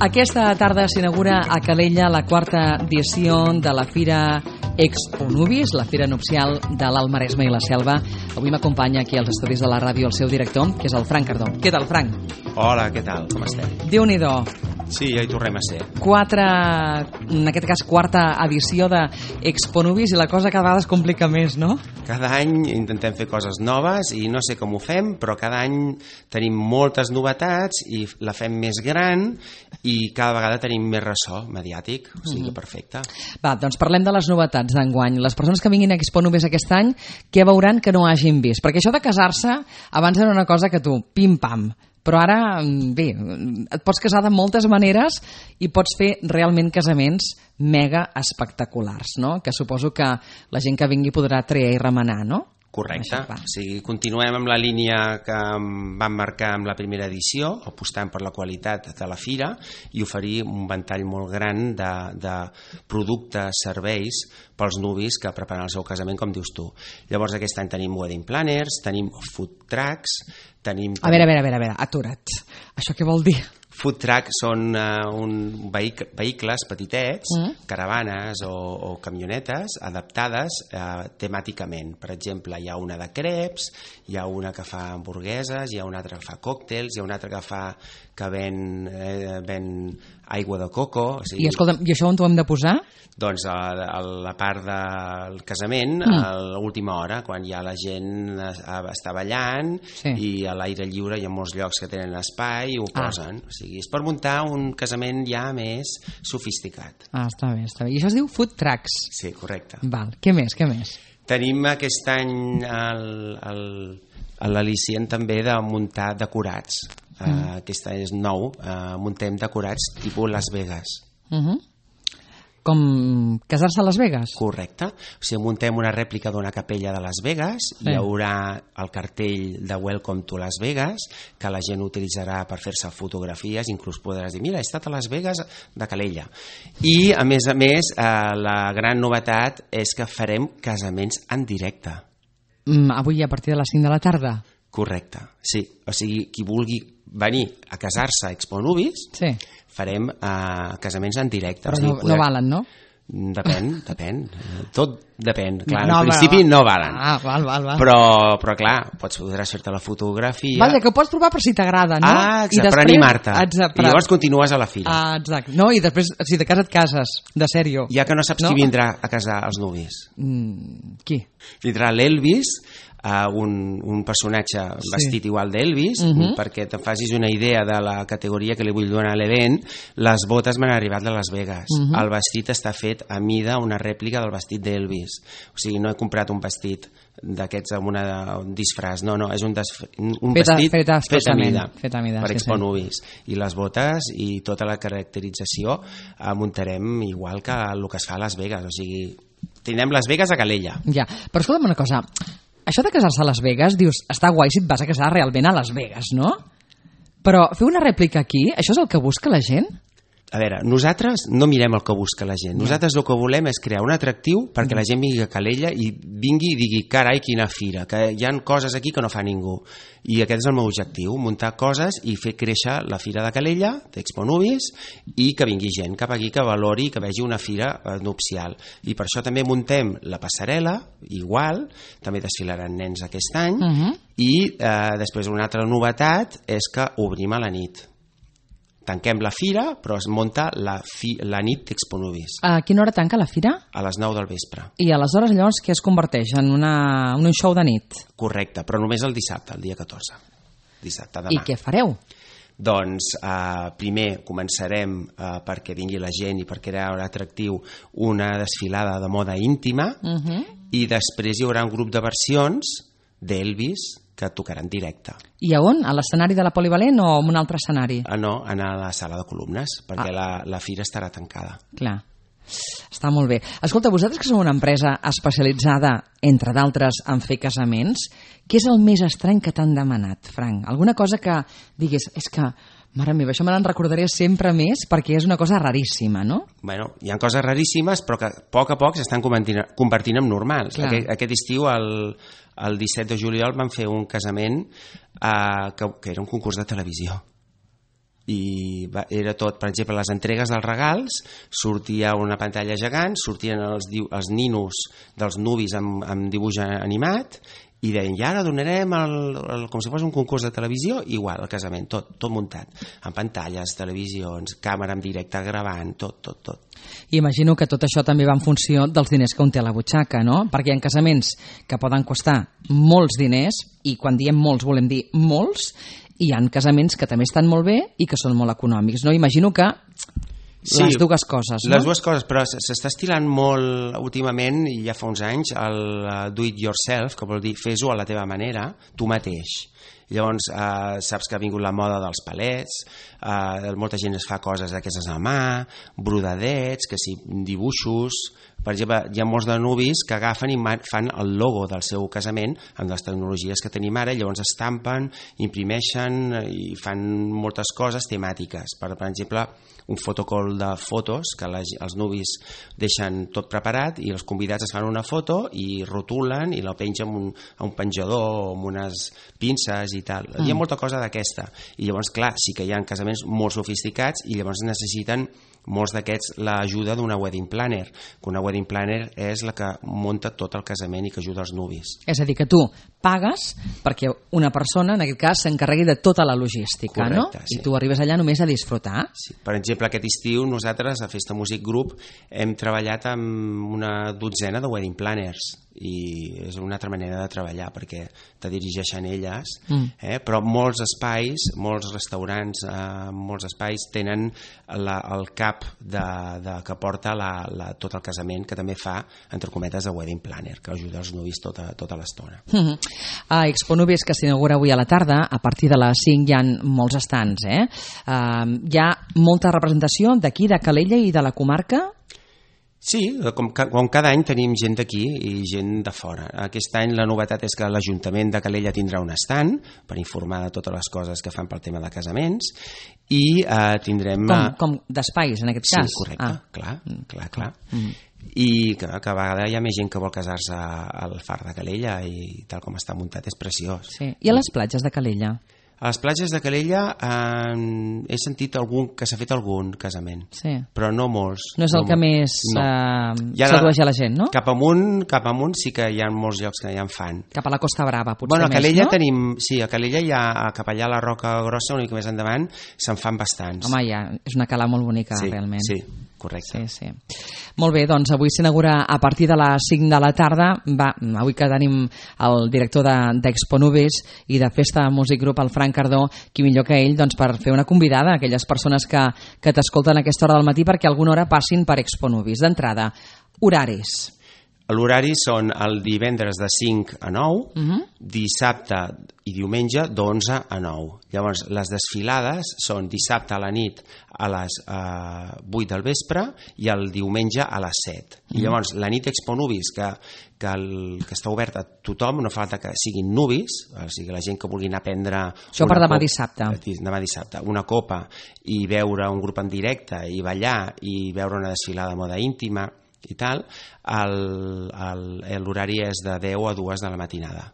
Aquesta tarda s'inaugura a Calella la quarta edició de la Fira Expo Nuvis, la Fira Nupcial de l'Alt Maresme i la Selva. Avui m'acompanya aquí als estudis de la ràdio el seu director, que és el Frank Cardó. Què tal, Frank? Hola, què tal? Com estem? Déu-n'hi-do. Sí, ja hi tornem a ser. En aquest cas, quarta edició de Expo Nuvis i la cosa cada vegada es complica més, no? Cada any intentem fer coses noves i no sé com ho fem, però cada any tenim moltes novetats i la fem més gran i cada vegada tenim més ressò mediàtic, o sigui, perfecte. Va, doncs parlem de les novetats d'enguany. Les persones que vinguin a Expo Nuvis aquest any, què veuran que no hagin vist? Perquè això de casar-se abans era una cosa que tu, pim-pam, però ara, bé, et pots casar de moltes maneres i pots fer realment casaments mega espectaculars, no? Que suposo que la gent que vingui podrà triar i remenar, no? Correcte, o sigui, continuem amb la línia que vam marcar amb la primera edició, apostant per la qualitat de la fira i oferir un ventall molt gran de productes, serveis pels nuvis que preparen el seu casament, com dius tu. Llavors aquest any tenim wedding planners, tenim food trucks, tenim... A veure, atura't. Això què vol dir? Food truck són vehicles petitets, caravanes o camionetes adaptades temàticament. Per exemple, hi ha una de creps, hi ha una que fa hamburgueses, hi ha una altra que fa còctels, hi ha una altra que ven aigua de coco. O sigui, I escolta'm, i això on t'ho hem de posar? Doncs a la part del casament, a l'última hora, quan ja la gent està ballant i a l'aire lliure hi ha molts llocs que tenen espai i ho posen. O sigui, és per muntar un casament ja més sofisticat. Està bé. I això es diu food trucks. Sí, correcte. Val. Què més? Tenim aquest any l'al·licient també de muntar decorats. Aquest any és nou, muntem decorats tipus Las Vegas. Com casar-se a Las Vegas? Correcte. O sigui, muntem una rèplica d'una capella de Las Vegas, hi haurà el cartell de Welcome to Las Vegas, que la gent utilitzarà per fer-se fotografies, inclús podràs dir, mira, he estat a Las Vegas de Calella. I, a més, la gran novetat és que farem casaments en directe. Avui a partir de les 5 de la tarda? Correcte, sí. O sigui, qui vulgui venir a casar-se a Expo Nuvis, farem casaments en directe. Però no valen, no? Depèn. Tot depèn. Clar, al principi no valen. Val. Però clar, podràs fer-te la fotografia. Vaja, que ho pots provar per si t'agrada, no? Exacte, per animar-te. I llavors continues a la fira. Exacte. No, i després, si de casa et cases, de sèrio. Ja que no saps qui vindrà a casar els nuvis. Qui? Vindrà l'Elvis, un personatge vestit igual d'Elvis, perquè te'n facis una idea de la categoria que li vull donar a l'event. Les botes m'han arribat de Las Vegas. El vestit està fet a mida, una rèplica del vestit d'Elvis. O sigui, no he comprat un vestit d'aquests amb un disfraç, no, és un vestit fet a mida per Expo Nuvis. I les botes i tota la caracterització muntarem igual que el que es fa a Las Vegas. O sigui, tindrem Las Vegas a Calella. Ja, però escolta'm una cosa, això de casar-se a Las Vegas, dius, està guai si et vas a casar realment a Las Vegas, no? Però fer una rèplica aquí, això és el que busca la gent? A veure, nosaltres no mirem el que busca la gent. Nosaltres el que volem és crear un atractiu perquè la gent vingui a Calella i vingui i digui, carai, quina fira, que hi ha coses aquí que no fa ningú. I aquest és el meu objectiu, muntar coses i fer créixer la fira de Calella, d'Expo Nuvis, i que vingui gent cap aquí, que valori, que vegi una fira nupcial. I per això també muntem la passarel·la, igual, també desfilaran nens aquest any, i després una altra novetat és que obrim a la nit. Tanquem la fira, però es munta la nit d'Expo Nuvis. A quina hora tanca la fira? A les 9 del vespre. I aleshores llavors què es converteix? En un show de nit? Correcte, però només el dissabte, el dia 14. Dissabte, demà. I què fareu? Doncs primer començarem perquè vingui la gent i per crear un atractiu una desfilada de moda íntima i després hi haurà un grup de versions d'Elvis que tocaran directe. I a on? A l'escenari de la Polivalent o en un altre escenari? No, a la sala de columnes, perquè la fira estarà tancada. Clar. Està molt bé. Escolta, vosaltres que sou una empresa especialitzada, entre d'altres, en fer casaments, què és el més estrany que t'han demanat, Frank? Alguna cosa que diguis, és que, mare meva, això me n'en recordaré sempre més perquè és una cosa raríssima, no? Bueno, hi ha coses raríssimes, però que a poc s'estan convertint en normals. Aquest estiu, el 17 de juliol, vam fer un casament que era un concurs de televisió. I era tot, per exemple, les entregues dels regals, sortia una pantalla gegant, sortien els ninos dels nuvis amb dibuix animat, i deien, i ara donarem com si fos un concurs de televisió, igual, el casament, tot muntat, amb pantalles, televisions, càmera en directe gravant, tot. I imagino que tot això també va en funció dels diners que un té a la butxaca, no? Perquè hi ha casaments que poden costar molts diners, i quan diem molts volem dir molts, i hi ha casaments que també estan molt bé i que són molt econòmics, no? Imagino que les dues coses, no? Les dues coses, però s'està estilant molt últimament, i ja fa uns anys, el do it yourself, que vol dir fes-ho a la teva manera, tu mateix. Llavors saps que ha vingut la moda dels palets, molta gent es fa coses d'aquestes a mà, brodadets, que sí, dibuixos. Per exemple, hi ha molts de nuvis que agafen i fan el logo del seu casament amb les tecnologies que tenim ara, llavors estampen, imprimeixen i fan moltes coses temàtiques. Per exemple, un fotocall de fotos que els nuvis deixen tot preparat i els convidats es fan una foto i rotulen i la pengen a un penjador o amb unes pinces i tal. Hi ha molta cosa d'aquesta. I llavors, clar, sí que hi ha casaments molt sofisticats i llavors necessiten molts d'aquests l'ajuda d'una wedding planner, que una wedding planner és la que munta tot el casament i que ajuda els nuvis. És a dir, que tu pagues perquè una persona, en aquest cas, s'encarregui de tota la logística. Correcte, no? Sí. I tu arribes allà només a disfrutar. Sí. Per exemple, aquest estiu nosaltres a Festa Music Group hem treballat amb una dotzena de wedding planners i és una altra manera de treballar perquè te dirigeixen elles, però molts espais, molts restaurants, molts espais tenen el cap que porta tot el casament, que també fa, entre cometes, de wedding planner, que ajuda els nuvis tota l'estona. A Expo Nuvis, que s'inaugura avui a la tarda, a partir de les 5 hi ha molts estants. Hi ha molta representació d'aquí, de Calella i de la comarca? Sí, com cada any tenim gent d'aquí i gent de fora. Aquest any la novetat és que l'Ajuntament de Calella tindrà un estand per informar de totes les coses que fan pel tema de casaments i tindrem... Com d'espais, en aquest cas? Sí, correcte, clar. I que a vegades hi ha més gent que vol casar-se al Far de Calella i tal com està muntat és preciós. Sí. I a les platges de Calella? A les platges de Calella he sentit que s'ha fet algun casament, però no molts. No és el que més sedueix a la gent, no? Cap amunt sí que hi ha molts llocs que ja en fan. Cap a la Costa Brava, potser més, no? A Calella tenim... Sí, a Calella hi ha, cap allà a la Roca Grossa, una mica més endavant, se'n fan bastants. Home, és una cala molt bonica, realment. Sí, correcte. Sí. Molt bé, doncs avui s'inaugura a partir de les 5 de la tarda. Avui que tenim el director d'Expo Nuvis i de Festa Music Group, el Frank Cardó, qui millor que ell per fer una convidada a aquelles persones que t'escolten a aquesta hora del matí perquè alguna hora passin per Expo Nuvis. D'entrada, horaris. L'horari són el divendres de 5 a 9, dissabte i diumenge d'11 a 9. Llavors, les desfilades són dissabte a la nit a les 8 del vespre i el diumenge a les 7. I llavors, la nit Expo Nuvis, que està oberta a tothom, no fa falta que siguin nuvis, o sigui, la gent que vulgui anar a prendre... Això per demà dissabte. Demà dissabte, una copa i veure un grup en directe i ballar i veure una desfilada de moda íntima i tal, l'horari és de 10 a 2 de la matinada.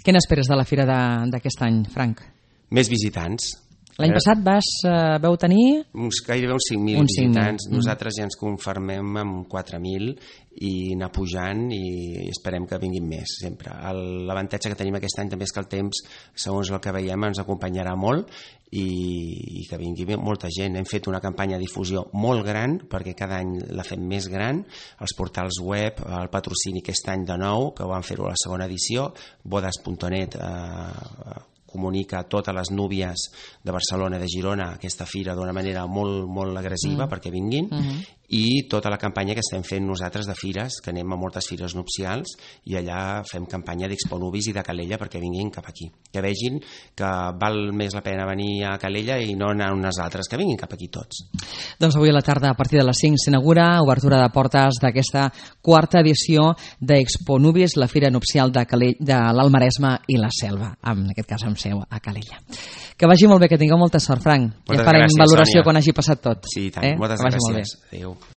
Què n'esperes de la fira d'aquest any, Frank? Més visitants. L'any passat vau tenir... Gairebé uns 5.000 visitants. Nosaltres ja ens conformem amb 4.000 i anar pujant i esperem que vinguin més, sempre. L'avantatge que tenim aquest any també és que el temps, segons el que veiem, ens acompanyarà molt i que vingui molta gent. Hem fet una campanya de difusió molt gran, perquè cada any la fem més gran, els portals web, el patrocini aquest any de nou, que van fer-ho a la segona edició, bodas.net comunica a totes les núvies de Barcelona i de Girona aquesta fira d'una manera molt, molt agressiva perquè vinguin, i tota la campanya que estem fent nosaltres de fires, que anem a moltes fires nupcials i allà fem campanya d'Expo Nuvis i de Calella perquè vinguin cap aquí, que vegin que val més la pena venir a Calella i no anar a unes altres, que vinguin cap aquí tots. Doncs avui a la tarda, a partir de les 5, s'inaugura obertura de portes d'aquesta quarta edició d'Expo Nuvis, la fira nupcial de l'Almaresme i la Selva, en aquest cas amb seu a Calella. Que vagi molt bé, que tingueu molta sort, Frank. Ja farem valoració quan hagi passat tot. Sí, tant. Moltes gràcies. Adéu.